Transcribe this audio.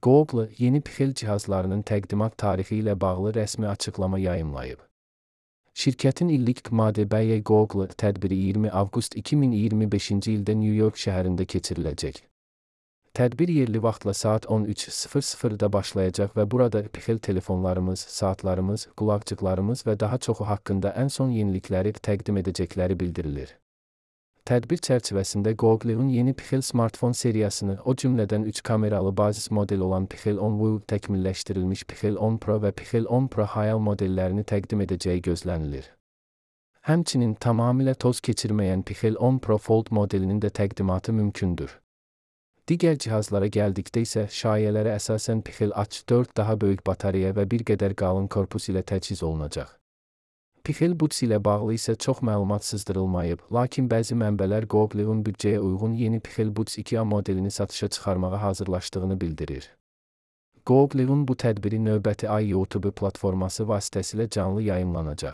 Google yeni Pixel cihazlarının təqdimat tarixi ilə bağlı rəsmi açıqlama yayımlayıb. Şirkətin illik KDB Google tədbiri 20 avqust 2025-ci ildə New York şəhərində keçiriləcək. Tədbir yerli vaxtla saat 13:00-da başlayacaq və burada Pixel telefonlarımız, saatlarımız, qulaqcıqlarımız və daha çoxu haqqında ən son yenilikləri təqdim edəcəkləri bildirilir. Tədbir çərçivəsində Google'un yeni Pixel smartfon seriyasını, o cümlədən 3 kameralı bazis model olan Pixel 10 View, təkmilləşdirilmiş Pixel 10 Pro və Pixel 10 Pro High modellərini təqdim edəcəyi gözlənilir. Həmçinin tamamilə toz keçirməyən Pixel 10 Pro Fold modelinin də təqdimatı mümkündür. Digər cihazlara gəldikdə isə şayələrə əsasən Pixel H4 daha böyük batareya və bir qədər qalın korpus ilə təchiz olunacaq. Pixel Buds ilə bağlı isə çox məlumat sızdırılmayıb, lakin bəzi mənbələr Google'un büdcəyə uyğun yeni Pixel Buds 2A modelini satışa çıxarmağa hazırlaşdığını bildirir. Google'un bu tədbiri növbəti ay YouTube platforması vasitəsilə canlı yayımlanacaq.